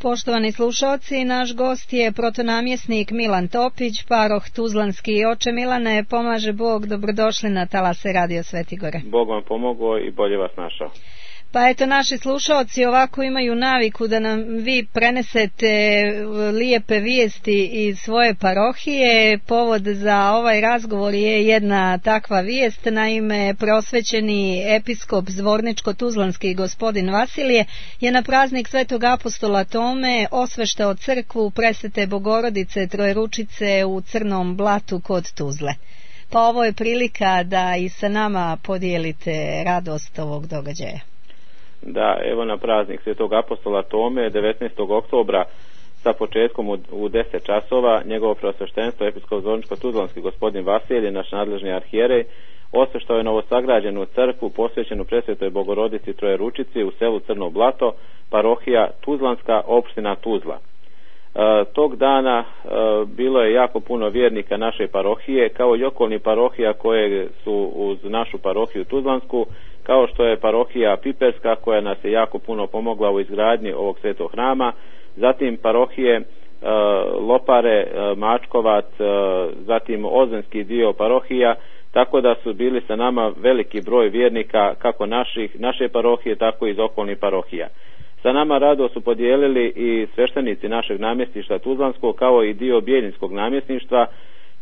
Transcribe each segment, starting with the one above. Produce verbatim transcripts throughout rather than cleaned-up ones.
Poštovani slušalci, naš gost je protonamjesnik Milan Topić, paroh Tuzlanski. Oče Milane, pomaže Bog, dobrodošli na talase Radio Sveti Gore. Bog vam pomogao i bolje vas našao. Pa eto, naši slušalci ovako imaju naviku da nam vi prenesete lijepe vijesti iz svoje parohije. Povod za ovaj razgovor je jedna takva vijest. Naime, prosvećeni episkop Zvorničko-Tuzlanski gospodin Vasilije je na praznik Svetog apostola Tome osveštao crkvu Presvete Bogorodice Trojeručice u Crnom Blatu kod Tuzle. Pa ovo je prilika da i sa nama podijelite radost ovog događaja. Da, evo na praznik Svetog apostola Tome devetnaestog oktobra sa početkom u, u deset časova njegovo preosveštenstvo episkop Zvorničko-Tuzlanski gospodin Vasilije, naš nadležni arhijerej, osveštao je novosagrađenu crkvu posvećenu Presvetoj Bogorodici Trojeručici u selu Crno Blato, parohija Tuzlanska, opština Tuzla. E, tog dana e, bilo je jako puno vjernika naše parohije, kao i okolnih parohija koje su uz našu parohiju Tuzlansku, kao što je parohija Piperska koja nas je jako puno pomogla u izgradnji ovog svetog hrama, zatim parohije e, Lopare, e, Mačkovac, e, zatim Ozvenski dio parohija, tako da su bili sa nama veliki broj vjernika kako naših, naše parohije, tako i iz okolnih parohija. Sa nama rado su podijelili i sveštenici našeg namjesništva Tuzlanskog, kao i dio Bijeljinskog namjesništva,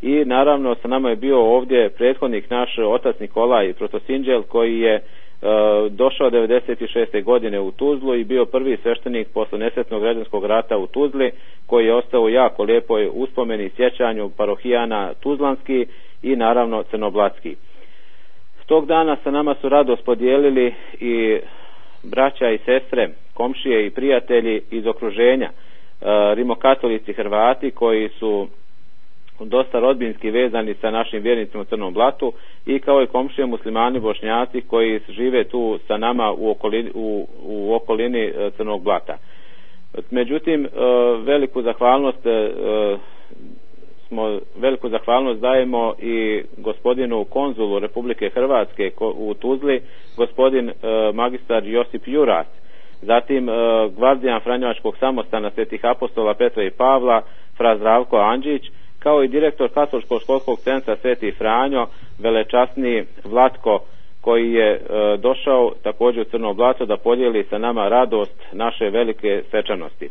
i naravno sa nama je bio ovdje prethodnik naš otac Nikolaj Protosinđel, koji je e, došao devedeset šeste godine u Tuzlu i bio prvi sveštenik posle nesretnog građanskog rata u Tuzli, koji je ostao u jako lijepoj uspomeni i sjećanju parohijana Tuzlanski i naravno Crnoblatski. Tog dana sa nama su radost podijelili i braća i sestre, komšije i prijatelji iz okruženja, e, rimokatolici Hrvati koji su dosta rodbinski vezani sa našim vjernicima u Crnom Blatu, i kao i komšije muslimani Bošnjaci koji žive tu sa nama u okolini, u, u okolini Crnog Blata. Međutim, veliku zahvalnost smo veliku zahvalnost dajemo i gospodinu konzulu Republike Hrvatske u Tuzli, gospodin magistar Josip Juras, zatim gvardijan Franjevačkog samostana Svetih apostola Petra i Pavla fra Zdravko Andžić, kao i direktor Katoličkog školskog centra Sveti Franjo, velečasni Vlatko, koji je e, došao također u Crno Blato da podijeli sa nama radost naše velike svečanosti.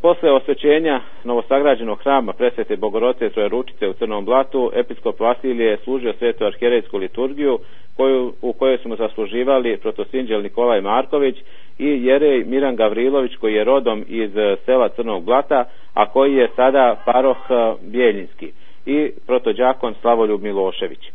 Posle osvećenja novosagrađenog hrama Presvete Bogorodice Trojeručice u Crnom Blatu, episkop Vasilije je služio svetu arhijerejsku liturgiju, koju, u kojoj su mu zasluživali protosinđel Nikolaj Marković i jerej Miran Gavrilović, koji je rodom iz sela Crnog Blata, a koji je sada paroh Bijeljinski, i protođakon Slavoljub Milošević. E,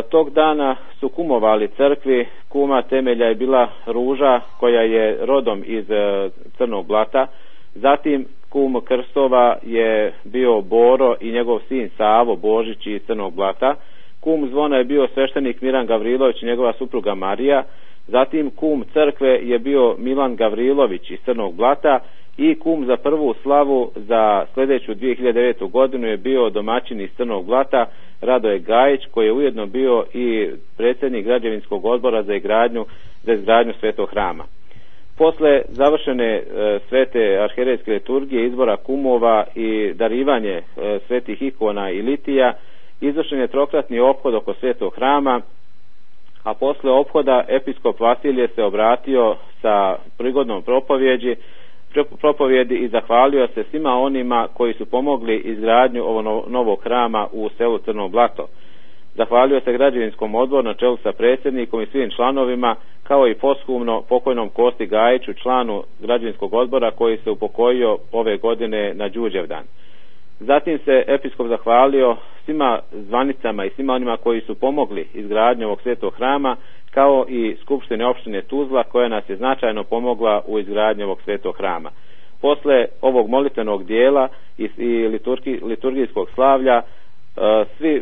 tog dana su kumovali crkvi. Kuma temelja je bila Ruža, koja je rodom iz e, Crnog Blata. Zatim kum krstova je bio Boro i njegov sin Savo Božić iz Crnog Blata. Kum zvona je bio sveštenik Miran Gavrilović i njegova supruga Marija. Zatim kum crkve je bio Milan Gavrilović iz Crnog Blata, i kum za prvu slavu za sljedeću dvije hiljade devete. godinu je bio domaćin iz Crnog Blata Radoje Gajić, koji je ujedno bio i predsjednik građevinskog odbora za izgradnju, za izgradnju svetog hrama. Posle završene e, svete arhijerejske liturgije, izbora kumova i darivanje e, svetih ikona i litija, izvršen je trokratni ophod oko svetog hrama, a posle ophoda episkop Vasilije se obratio sa prigodnom propovjeđi, propovjedi i zahvalio se svima onima koji su pomogli izgradnju ovog novog hrama u selu Crno Blato. Zahvalio se građevinskom odboru na čelu sa predsjednikom i svim članovima, kao i posthumno pokojnom Kosti Gajiću, članu građevinskog odbora, koji se upokojio ove godine na Đurđevdan. Zatim se episkop zahvalio svima zvanicama i svima onima koji su pomogli izgradnju ovog svetog hrama, kao i Skupštine opštine Tuzla, koja nas je značajno pomogla u izgradnji ovog svetog hrama. Posle ovog molitvenog dijela i, i liturgi, liturgijskog slavlja, svi,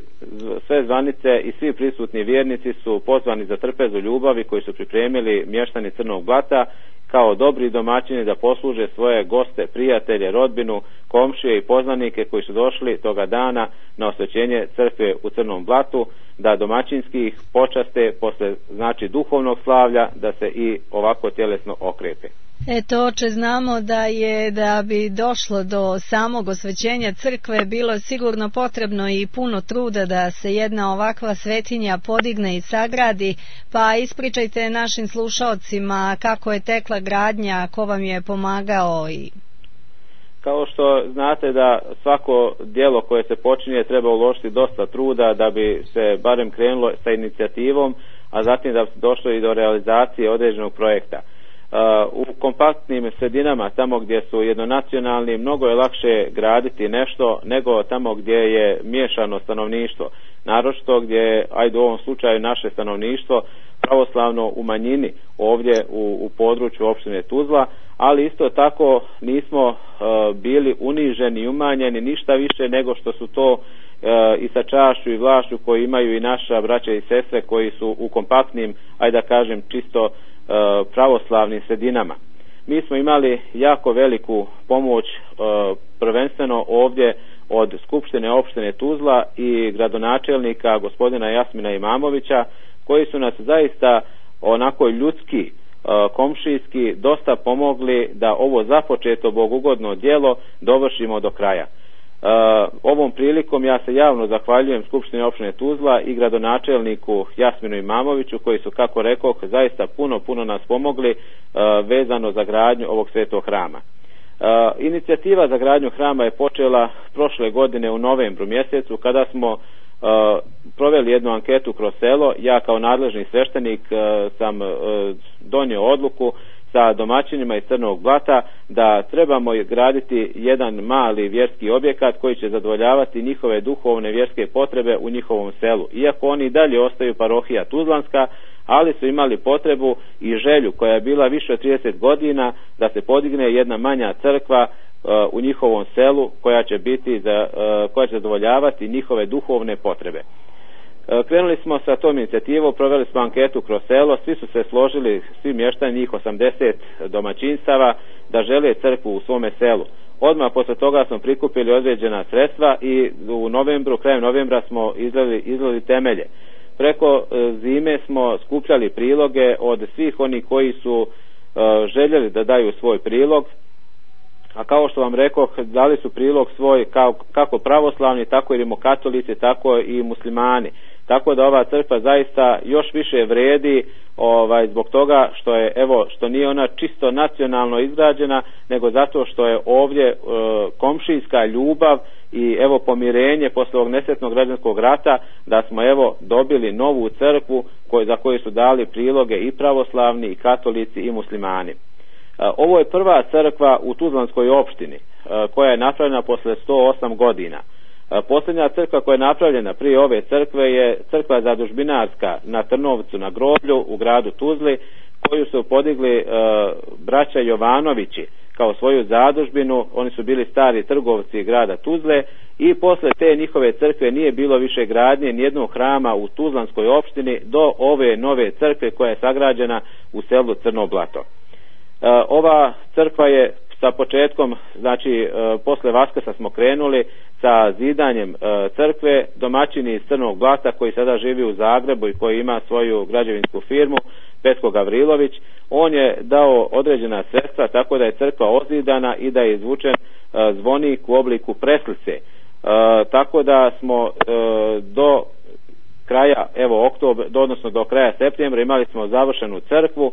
sve zvanice i svi prisutni vjernici su pozvani za trpezu ljubavi koji su pripremili mještani Crnog Blata kao dobri domaćini da posluže svoje goste, prijatelje, rodbinu, komšije i poznanike koji su došli toga dana na osvećenje crkve u Crnom Blatu, da domaćinski ih počaste posle, znači, duhovnog slavlja, da se i ovako tjelesno okrepe. Eto, oče, znamo da je, da bi došlo do samog osvećenja crkve, bilo sigurno potrebno i puno truda da se jedna ovakva svetinja podigne i sagradi, pa ispričajte našim slušaocima kako je tekla gradnja, ko vam je pomagao. I kao što znate da svako djelo koje se počinje treba uložiti dosta truda da bi se barem krenulo sa inicijativom, a zatim da bi se došlo i do realizacije određenog projekta. U kompaktnim sredinama, tamo gdje su jednonacionalni, mnogo je lakše graditi nešto nego tamo gdje je miješano stanovništvo. Naročito gdje je, ajde u ovom slučaju, naše stanovništvo pravoslavno u manjini ovdje u, u području opštine Tuzla, ali isto tako nismo uh, bili uniženi i umanjeni ništa više nego što su to uh, i sa čašću i vlašću koji imaju i naša braća i sestre koji su u kompaktnim, ajde da kažem, čisto pravoslavnim sredinama. Mi smo imali jako veliku pomoć, prvenstveno ovdje od Skupštine opštine Tuzla i gradonačelnika gospodina Jasmina Imamovića, koji su nas zaista onako ljudski, komšijski dosta pomogli da ovo započeto bogugodno djelo dovršimo do kraja. Uh, ovom prilikom ja se javno zahvaljujem Skupštini opštine Tuzla i gradonačelniku Jasminu Imamoviću koji su, kako rekoh, zaista puno puno nas pomogli uh, vezano za gradnju ovog svetog hrama. Uh, inicijativa za gradnju hrama je počela prošle godine u novembru mjesecu kada smo uh, proveli jednu anketu kroz selo. Ja kao nadležni sveštenik uh, sam uh, donio odluku sa domaćinima iz Crnog Blata da trebamo graditi jedan mali vjerski objekat koji će zadovoljavati njihove duhovne vjerske potrebe u njihovom selu. Iako oni dalje ostaju parohija Tuzlanska, ali su imali potrebu i želju koja je bila više od trideset godina da se podigne jedna manja crkva uh, u njihovom selu koja će biti za, uh, koja će zadovoljavati njihove duhovne potrebe. Krenuli smo sa tom inicijativom, proveli smo anketu kroz selo, svi su se složili, svi mještani, njih osamdeset domaćinstava, da žele crkvu u svome selu. Odmah posle toga smo prikupili određena sredstva i u novembru, krajem novembra smo izlili, izlili temelje. Preko zime smo skupljali priloge od svih onih koji su uh, željeli da daju svoj prilog, a kao što vam rekoh, dali su prilog svoj kao, kako pravoslavni, tako i rimokatolici, tako i muslimani. Tako da ova crkva zaista još više vredi, ovaj, zbog toga što je, evo, što nije ona čisto nacionalno izgrađena, nego zato što je ovdje e, komšijska ljubav i evo pomirenje posle ovog nesretnog građanskog rata, da smo evo dobili novu crkvu koj, za koju su dali priloge i pravoslavni i katolici i muslimani. Ovo je prva crkva u Tuzlanskoj opštini koja je napravljena posle sto osam godina. Posljednja crkva koja je napravljena prije ove crkve je crkva zadužbinarska na Trnovcu na Groblju u gradu Tuzli, koju su podigli braća Jovanovići kao svoju zadužbinu. Oni su bili stari trgovci grada Tuzle i posle te njihove crkve nije bilo više gradnje nijednog hrama u Tuzlanskoj opštini do ove nove crkve koja je sagrađena u selu Crno Blato. Ova crkva je sa početkom, znači posle Vaskrsa smo krenuli sa zidanjem crkve. Domaćini iz Crnog Blata koji sada živi u Zagrebu i koji ima svoju građevinsku firmu, Petko Gavrilović, on je dao određena sredstva tako da je crkva ozidana i da je izvučen zvonik u obliku preslice. Tako da smo do kraja, evo oktober, odnosno do kraja septembra imali smo završenu crkvu,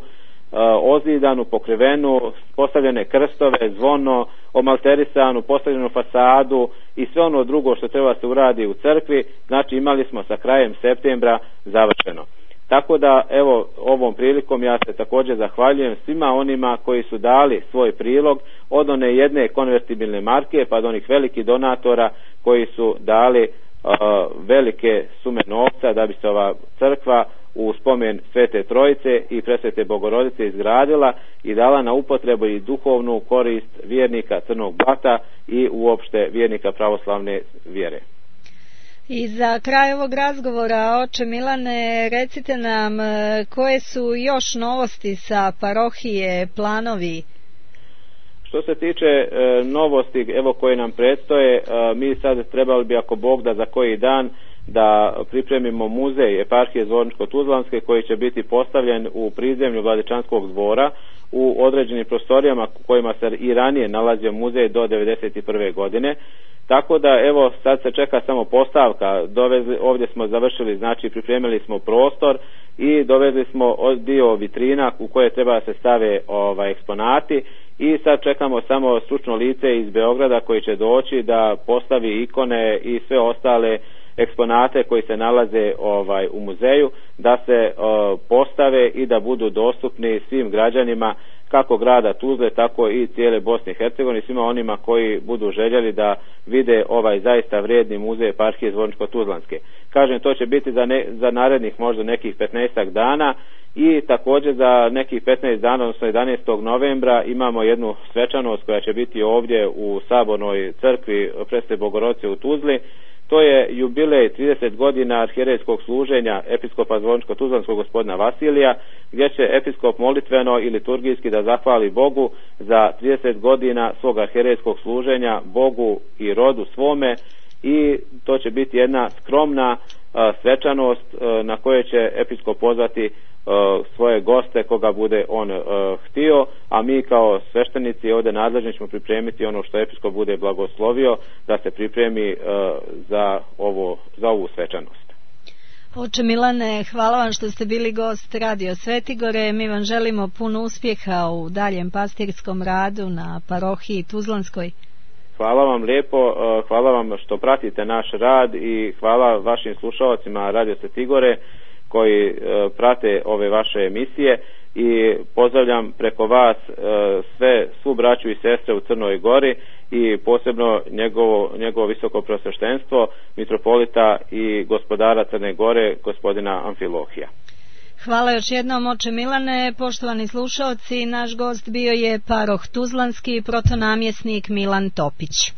ozidanu, pokrivenu, postavljene krstove, zvono, omalterisanu, postavljenu fasadu i sve ono drugo što treba se uradi u crkvi. Znači imali smo sa krajem septembra završeno. Tako da evo ovom prilikom ja se također zahvaljujem svima onima koji su dali svoj prilog, od one jedne konvertibilne marke pa do onih velikih donatora koji su dali uh, velike sume novca da bi se ova crkva u spomen Svete Trojice i Presvete Bogorodice izgradila i dala na upotrebu i duhovnu korist vjernika Crnog Blata i uopšte vjernika pravoslavne vjere. I za kraj ovog razgovora, oče Milane, recite nam koje su još novosti sa parohije, planovi? Što se tiče e, novosti evo koje nam predstoje, e, mi sad trebali bi, ako Bog da, za koji dan da pripremimo muzej eparhije Zvorničko-Tuzlanske koji će biti postavljen u prizemlju Vladičanskog dvora. u određenim prostorijama u kojima se i ranije nalazio muzej do devedeset prve godine. Tako da evo sad se čeka samo postavka. Dovezli, ovdje smo završili, znači pripremili smo prostor i dovezli smo dio vitrina u koje treba da se stave ovaj, eksponati i sad čekamo samo stručno lice iz Beograda koji će doći da postavi ikone i sve ostale eksponate koji se nalaze ovaj u muzeju, da se uh, postave i da budu dostupni svim građanima kako grada Tuzle, tako i cijele Bosne i Hercegovine, svima onima koji budu željeli da vide ovaj zaista vrijedni muzej eparhije Zvorničko-Tuzlanske. Kažem, to će biti za, ne, za narednih možda nekih petnaestak dana i također za nekih petnaest dana, odnosno jedanaestog novembra imamo jednu svečanost koja će biti ovdje u Sabornoj crkvi Presvete Bogorodice u Tuzli. To je jubilej trideset godina arhijerejskog služenja episkopa Zvorničko-Tuzlanskog gospodina Vasilija, gdje će episkop molitveno i liturgijski da zahvali Bogu za trideset godina svog arhijerejskog služenja Bogu i rodu svome, i to će biti jedna skromna a, svečanost a, na kojoj će episkop pozvati a, svoje goste koga bude on a, htio, a mi kao sveštenici ovdje nadležni ćemo pripremiti ono što episkop bude blagoslovio da se pripremi a, za, ovo, za ovu svečanost. Oče Milane, hvala vam što ste bili gost Radio Svetigore. Mi vam želimo puno uspjeha u daljem pastirskom radu na parohiji Tuzlanskoj. Hvala vam lijepo, hvala vam što pratite naš rad i hvala vašim slušalcima Radio Svetigore koji prate ove vaše emisije, i pozdravljam preko vas sve, svu braću i sestre u Crnoj Gori i posebno njegovo, njegovo visoko preosveštenstvo mitropolita i gospodara Crne Gore gospodina Amfilohija. Hvala još jednom, oče Milane. Poštovani slušalci, naš gost bio je paroh Tuzlanski protonamjesnik Milan Topić.